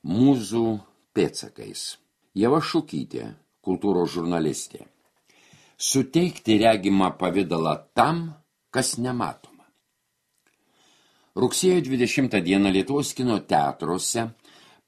Mūzų pėdsakais. Ieva Šukytė, kultūros žurnalistė. Suteikti regimą pavidalą tam, kas nematoma. Rugsėjo 20 dieną Lietuvos kino teatruose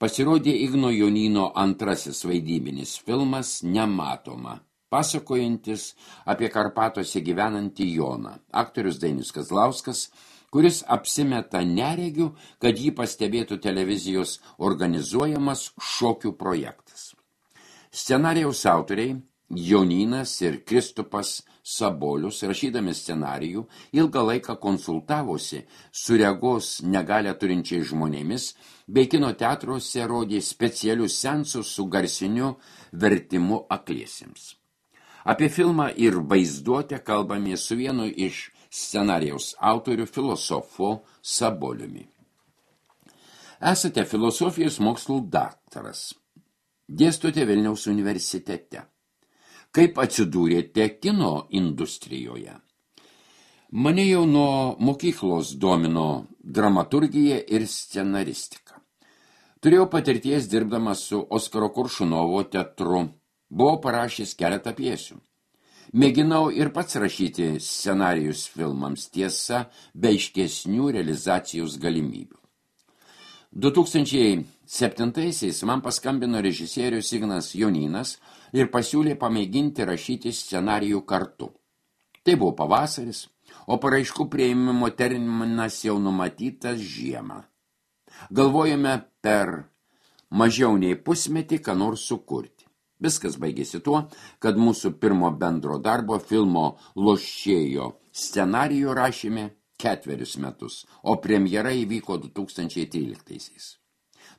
pasirodė Igno Jonyno antrasis vaidybinis filmas Nematoma, pasakojantis apie Karpatuose gyvenantį Joną, aktorius Dainius Kazlauskas, kuris apsimeta neregiu, kad jį pastebėtų televizijos organizuojamas šokių projektas. Scenarijaus autoriai Jonynas ir Kristupas Sabolius, rašydami scenarijų, ilgą laiką konsultavosi su regos negalią turinčiais žmonėmis, bei kino teatruose rodė specialius seansus su garsiniu vertimu akliesiems. Apie filmą ir vaizduotę kalbame su vienu iš scenarijaus autorių filosofu Saboliumi. Esate filosofijos mokslų daktaras. Dėstote Vilniaus universitete. Kaip atsidūrėte kino industrijoje? Mane jau nuo mokyklos domino dramaturgija ir scenaristika. Turėjau patirties dirbdamas su Oskaro Koršunovo teatru. Buvau parašęs keletą pjesių. Mėginau ir pats rašyti scenarijus filmams, tiesa, be aiškesnių realizacijos galimybių. 2007-aisiais man paskambino režisierius Ignas Jonynas ir pasiūlė pamėginti rašyti scenarijų kartu. Tai buvo pavasaris, o paraiškų priėmimo terminas jau numatytas žiemą. Galvojame per mažiau nei pusmetį ką nors sukurti. Viskas baigėsi tuo, kad mūsų pirmo bendro darbo filmo Lošėjo scenarijų rašėme 4 metus, o premjera įvyko 2013-aisiais.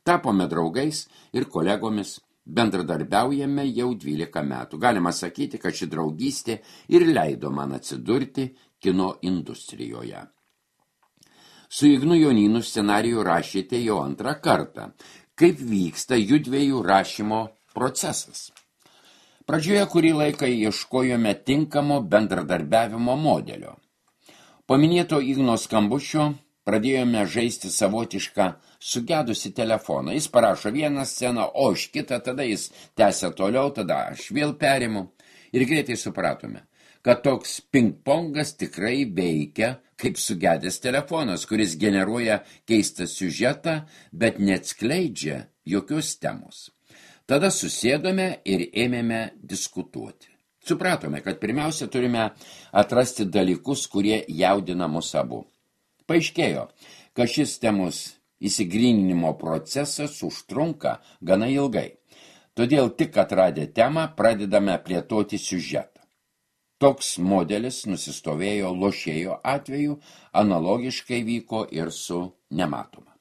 Tapome draugais ir kolegomis, bendradarbiaujame jau 12 metų. Galima sakyti, kad ši draugystė ir leido man atsidurti kino industrijoje. Su Ignu Jonynu scenarijų rašėte jau 2 kartą. Kaip vyksta judviejų rašymo procesas? Pradžioje kurį laiką ieškojome tinkamo bendradarbiavimo modelio. Po minėto Igno skambučio pradėjome žaisti savotišką sugedusi telefoną. Jis parašo vieną sceną, o aš kitą, tada jis tęsia toliau, tada aš vėl perimu. Ir greitai supratome, kad toks ping-pongas tikrai veikia kaip sugedęs telefonas, kuris generuoja keistą siužetą, bet neatskleidžia jokios temos. Tada susėdome ir ėmėme diskutuoti. Supratome, kad pirmiausia turime atrasti dalykus, kurie jaudina mus abu. Paaiškėjo, kad šis temos įsigryninimo procesas užtrunka gana ilgai. Todėl tik atradę temą pradedame plėtoti siužetą. Toks modelis nusistovėjo Lošėjo atveju, analogiškai vyko ir su Nematoma.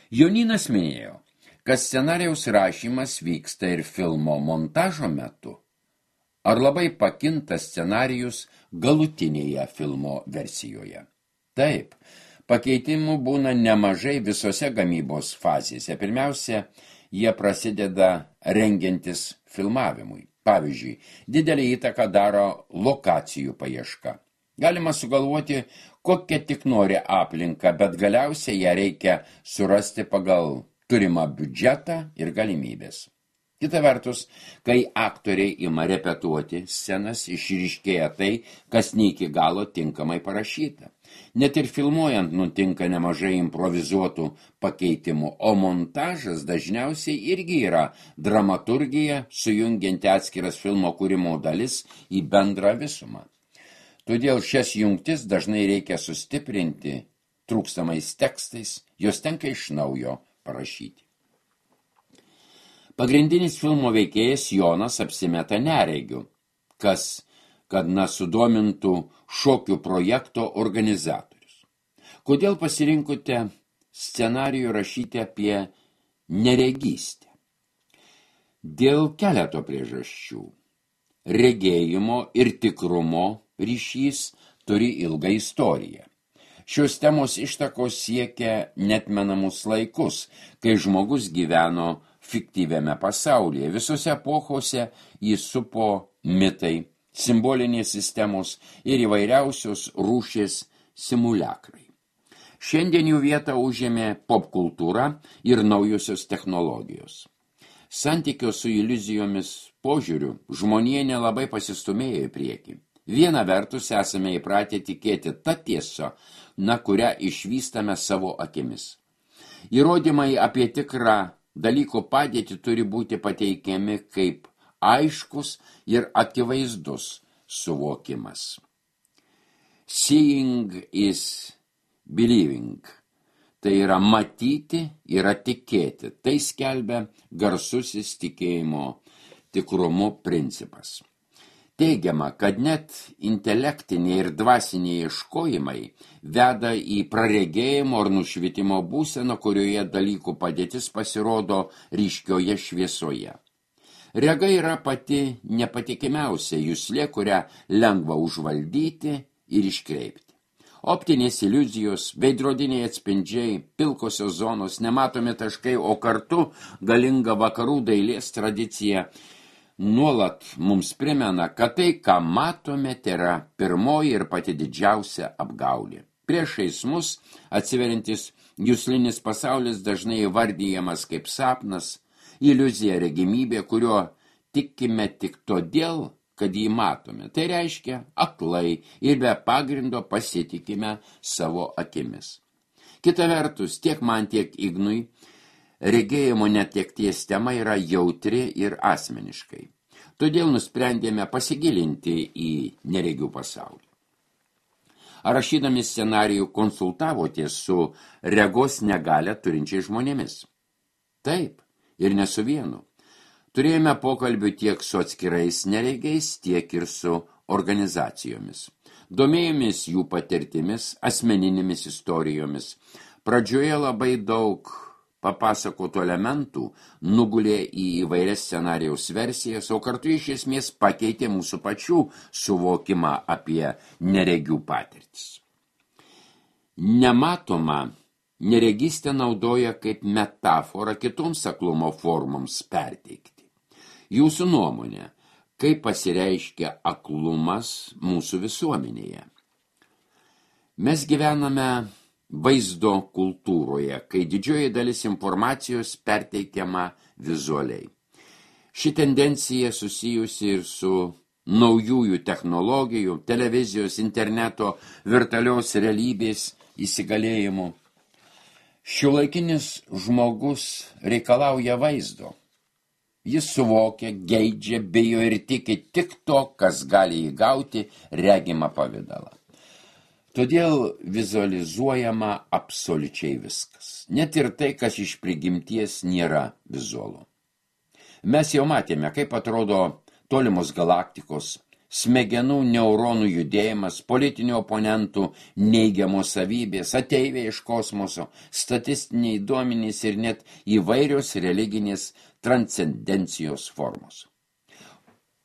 Jonynas minėjo, kad scenarijaus rašymas vyksta ir filmo montažo metu. Ar labai pakinta scenarijus galutinėje filmo versijoje? Taip, pakeitimų būna nemažai visose gamybos fazėse. Pirmiausia, jie prasideda rengiantis filmavimui. Pavyzdžiui, didelį įtaką daro lokacijų paieška. Galima sugalvoti, kokią tik nori aplinką, bet galiausiai ją reikia surasti pagal turimą biudžetą ir galimybės. Kita vertus, kai aktoriai ima repetuoti scenas, išryškėja tai, kas ne iki galo tinkamai parašyta. Net ir filmuojant nutinka nemažai improvizuotų pakeitimų, o montažas dažniausiai irgi yra dramaturgija, sujungianti atskiras filmo kūrimo dalis į bendrą visumą. Todėl šias jungtis dažnai reikia sustiprinti trūkstamais tekstais, jos tenka iš naujo parašyti. Pagrindinis filmo veikėjas Jonas apsimeta neregiu, kad sudomintų šokių projekto organizatorius. Kodėl pasirinkote scenarijų rašyti apie neregystę? Dėl keleto priežasčių. Regėjimo ir tikrumo ryšys turi ilgą istoriją. Šios temos ištakos siekia netmenamus laikus, kai žmogus gyveno fiktyviame pasaulyje. Visose epochose jį supo mitai, simbolinės sistemos ir įvairiausios rūšės simuliakrai. Šiandien jų vietą užėmė popkultūra ir naujosios technologijos. Santykio su iliuzijomis požiūriu žmonija nelabai pasistumėjo į priekį. Viena vertus esame įpratę tikėti tą tiesą, kurią išvystame savo akimis. Įrodymai apie tikrą dalyko padėtį turi būti pateikiami kaip aiškus ir akivaizdus suvokimas. Seeing is believing. Tai yra matyti, yra tikėti. Tai skelbia garsusis tikėjimo tikrumu principas. Teigiama, kad net intelektiniai ir dvasiniai ieškojimai veda į praregėjimo ar nušvitimo būseną, kurioje dalykų padėtis pasirodo ryškioje šviesoje. Rega yra pati nepatikimiausia juslė, kurią lengva užvaldyti ir iškreipti. Optinės iliuzijos, veidrodiniai atspindžiai, pilkosios zonos, nematomi taškai, o kartu galinga vakarų dailės tradicija nuolat mums primena, kad tai, ką matome, tai yra pirmoji ir pati didžiausia apgaulė. Priešais mus atsiveriantis juslinis pasaulis dažnai įvardyjamas kaip sapnas, iliuzija, regimybė, kurio tikime tik todėl, kad jį matome. Tai reiškia aklai ir be pagrindo pasitikime savo akimis. Kita vertus, tiek man, tiek Ignui, regėjimo netekties tema yra jautri ir asmeniškai. Todėl nusprendėme pasigilinti į neregių pasaulį. Ar rašydami scenarijų konsultavotės su regos negalią turinčiais žmonėmis? Taip, ir ne su vienu. Turėjome pokalbių tiek su atskirais neregiais, tiek ir su organizacijomis. Domėjomės jų patirtimis, asmeninėmis istorijomis. Pradžioje labai daug papasakotų elementų nugulė į įvairias scenarijaus versijas, o kartu iš esmės pakeitė mūsų pačių suvokimą apie neregių patirtis. Nematoma neregystė naudoja kaip metaforą kitoms aklumo formoms perteikti. Jūsų nuomonė, kaip pasireiškia aklumas mūsų visuomenėje? Mes gyvename vaizdo kultūroje, kai didžioji dalis informacijos perteikiama vizualiai. Ši tendencija susijusi ir su naujųjų technologijų, televizijos, interneto, virtualios realybės įsigalėjimu. Šiuolaikinis žmogus reikalauja vaizdo. Jis suvokia, geidžia, bijo ir tiki tik to, kas gali įgauti regimą pavidalą. Todėl vizualizuojama absoliučiai viskas. Net ir tai, kas iš prigimties nėra vizualu. Mes jau matėme, kaip atrodo tolimos galaktikos, smegenų neuronų judėjimas, politinių oponentų neigiamos savybės, ateiviai iš kosmoso, statistiniai duomenys ir net įvairios religinės transcendencijos formos.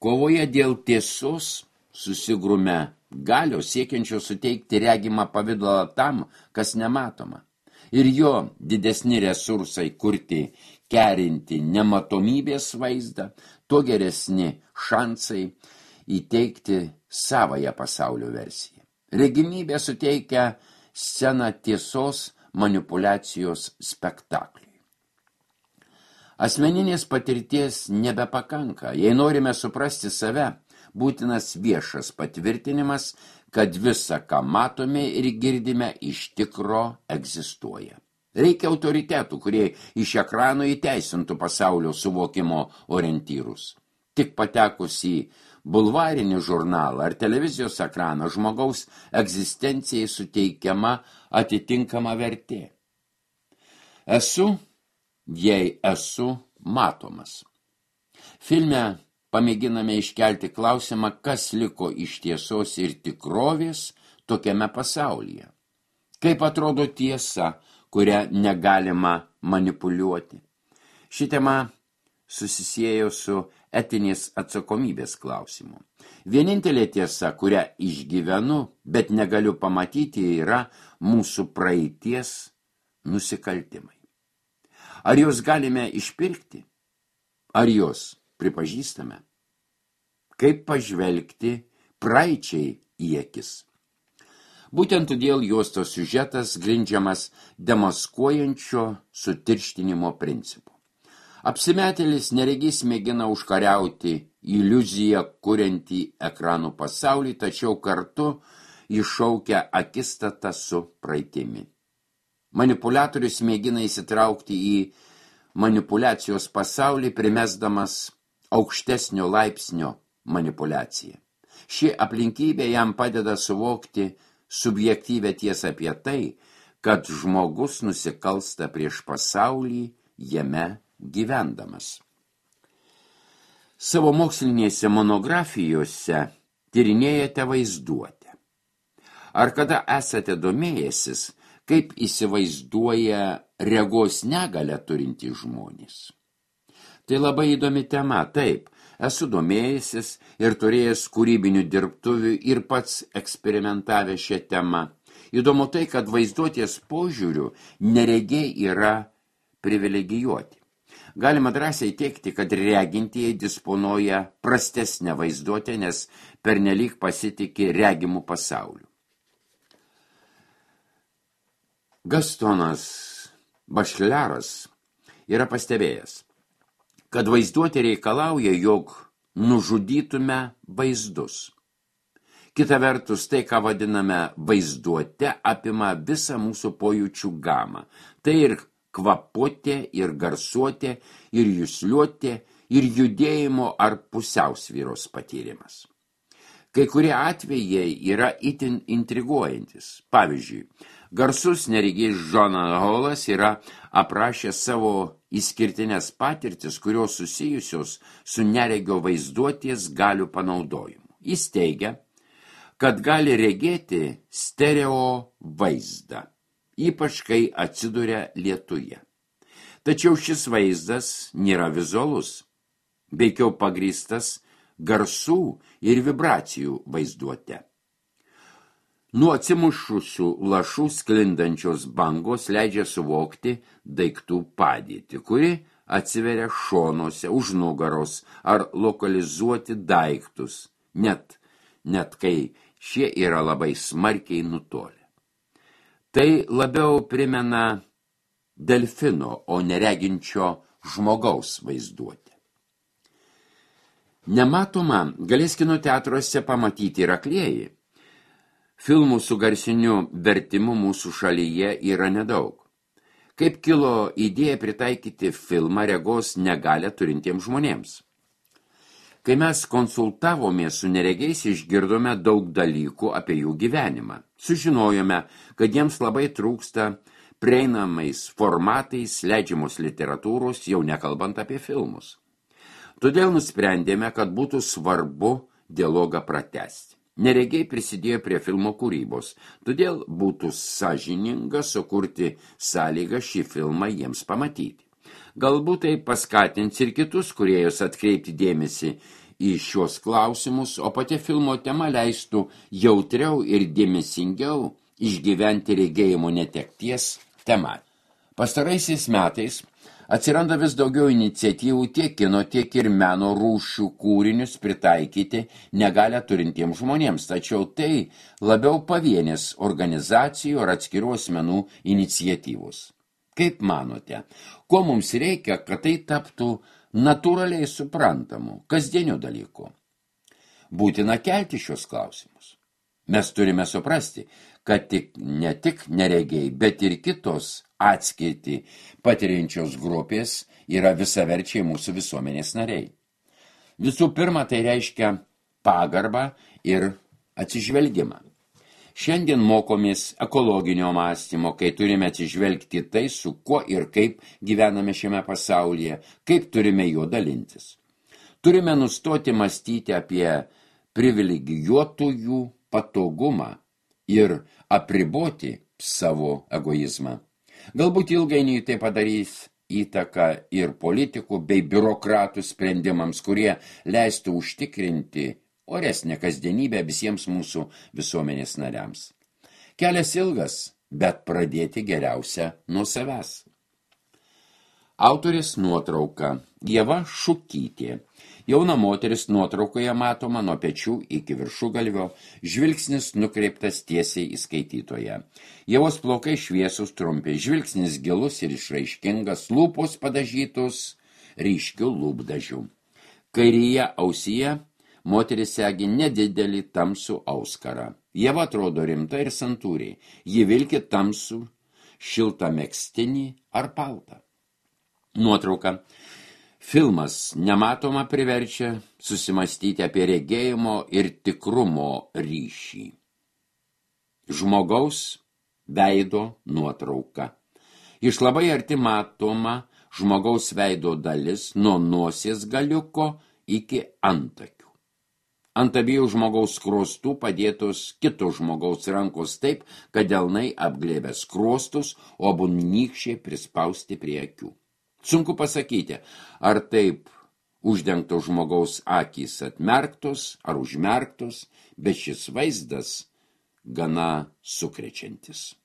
Kovoje dėl tiesos susigrūme galios siekiančios suteikti regimą pavidalą tam, kas nematoma. Ir jo didesni resursai kurti, kerinti nematomybės vaizdą, tuo geresni šansai įteikti savąją pasaulio versiją. Regimybė suteikia sceną tiesos manipuliacijos spektakliui. Asmeninės patirties nebepakanka. Jei norime suprasti save, būtinas viešas patvirtinimas, kad visa, ką matome ir girdime, iš tikro egzistuoja. Reikia autoritetų, kurie iš ekrano įteisintų pasaulio suvokimo orientyrus. Tik patekus į bulvarinį žurnalą ar televizijos ekraną žmogaus egzistencijai suteikiama atitinkama vertė. Esu, jei esu matomas. Filme pamėginame iškelti klausimą, kas liko iš tiesos ir tikrovės tokiame pasaulyje. Kaip atrodo tiesa, kurią negalima manipuliuoti. Ši tema susisiejo su etinės atsakomybės klausimu. Vienintelė tiesa, kurią išgyvenu, bet negaliu pamatyti, yra mūsų praeities nusikaltimai. Ar juos galime išpirkti? Ar juos pripažįstame? Kaip pažvelgti praeičiai į akis? Būtent todėl juostos siužetas grindžiamas demaskuojančio sutirštinimo principu. Apsimetėlis neregys mėgina užkariauti iliuziją kuriantį ekranų pasaulį, tačiau kartu iššaukia akistatą su praeitimi. Manipuliatorius mėgina įsitraukti į manipulacijos pasaulį, primesdamas aukštesnio laipsnio manipuliaciją. Ši aplinkybė jam padeda suvokti subjektyvę tiesą apie tai, kad žmogus nusikalsta prieš pasaulį jame gyvendamas. Savo mokslinėse monografijose tyrinėjate vaizduotę. Ar kada esate domėjęsis, kaip įsivaizduoja regos negalią turintys žmonės? Tai labai įdomi tema, taip, esu domėjęsis ir turėjęs kūrybinių dirbtuvių ir pats eksperimentavę šią temą. Įdomu tai, kad vaizduotės požiūriu neregiai yra privilegijuoti. Galima drąsiai teigti, kad regintieji disponuoja prastesnę vaizduotę, nes pernelyg pasitiki regimų pasauliu. Gastonas Bašleras yra pastebėjęs, kad vaizduotė reikalauja, jog nužudytume vaizdus. Kita vertus, tai, ką vadiname vaizduote, apima visą mūsų pojūčių gamą. Tai ir kvapotė, ir garsuotė, ir jusliuotė, ir judėjimo ar pusiausvyros patyrimas. Kai kurie atvejai yra itin intriguojantis. Pavyzdžiui, garsus neregys Jonas Hallas yra aprašęs savo išskirtinės patirtis, kurios susijusios su neregio vaizduotės galių panaudojimu. Jis teigia, kad gali regėti stereo vaizdą, ypač kai atsiduria lietuje. Tačiau šis vaizdas nėra vizualus, veikiau pagrįstas garsų ir vibracijų vaizduote. Nuo atsimušusių lašų sklindančios bangos leidžia suvokti daiktų padėtį, kuri atsiveria šonuose, už nugaros ar lokalizuoti daiktus, net kai šie yra labai smarkiai nutolę. Tai labiau primena delfino, o nereginčio žmogaus vaizduotę. Nematoma galės kino teatruose pamatyti ir aklieji. Filmų su garsiniu vertimu mūsų šalyje yra nedaug. Kaip kilo idėja pritaikyti filmą regos negalią turintiems žmonėms? Kai mes konsultavomės su neregiais, išgirdome daug dalykų apie jų gyvenimą. Sužinojome, kad jiems labai trūksta prieinamais formatais leidžiamos literatūros, jau nekalbant apie filmus. Todėl nusprendėme, kad būtų svarbu dialogą pratęsti. Neregiai prisidėjo prie filmo kūrybos, todėl būtų sąžininga sukurti sąlygą šį filmą jiems pamatyti. Galbūt tai paskatins ir kitus kūrėjus atkreipti dėmesį į šios klausimus, o pati filmo tema leistų jautriau ir dėmesingiau išgyventi regėjimo netekties temą. Pastaraisiais metais atsiranda vis daugiau iniciatyvų tiek kino, tiek ir meno rūšių kūrinius pritaikyti negalią turintiems žmonėms, tačiau tai labiau pavienės organizacijų ar atskirų asmenų iniciatyvos. Kaip manote, ko mums reikia, kad tai taptų natūraliai suprantamu, kasdieniu dalyku? Būtina kelti šios klausimus. Mes turime suprasti, kad ne tik neregiai, bet ir kitos atskirti patiriančios grupės yra visaverčiai mūsų visuomenės nariai. Visų pirma, tai reiškia pagarbą ir atsižvelgimą. Šiandien mokomės ekologinio mąstymo, kai turime atsižvelgti tai, su kuo ir kaip gyvename šiame pasaulyje, kaip turime juo dalintis. Turime nustoti mąstyti apie privilegijuotųjų patogumą ir apriboti savo egoizmą. Galbūt ilgainiui tai padarys įtaką ir politikų bei biurokratų sprendimams, kurie leistų užtikrinti oresnę kasdienybę visiems mūsų visuomenės nariams. Kelias ilgas, bet pradėti geriausia nuo savęs. Autorės nuotrauka Ieva Šukytė. Jauna moteris nuotraukoje matoma nuo pečių iki viršugalvio, žvilgsnis nukreiptas tiesiai į skaitytoją. Ievos plaukai šviesus trumpi, žvilgsnis gilus ir išraiškingas, lūpos padažytos ryškių lūpdažių. Kairėje ausyje moteris segi nedidelį tamsų auskarą. Ieva atrodo rimta ir santūriai. Ji vilki tamsų, šiltą megztinį ar paltą. Nuotrauka. Filmas Nematoma priverčia susimastyti apie regėjimo ir tikrumo ryšį. Žmogaus veido nuotrauka. Iš labai arti matoma žmogaus veido dalis nuo nosies galiuko iki antakių. Ant abiejų žmogaus skruostų padėtos kito žmogaus rankos taip, kad delnai apglėbė skruostus, o abu nykščiai prispausti prie akių. Sunku pasakyti, ar taip uždengto žmogaus akys atmerktos ar užmerktos, bet šis vaizdas gana sukrečiantis.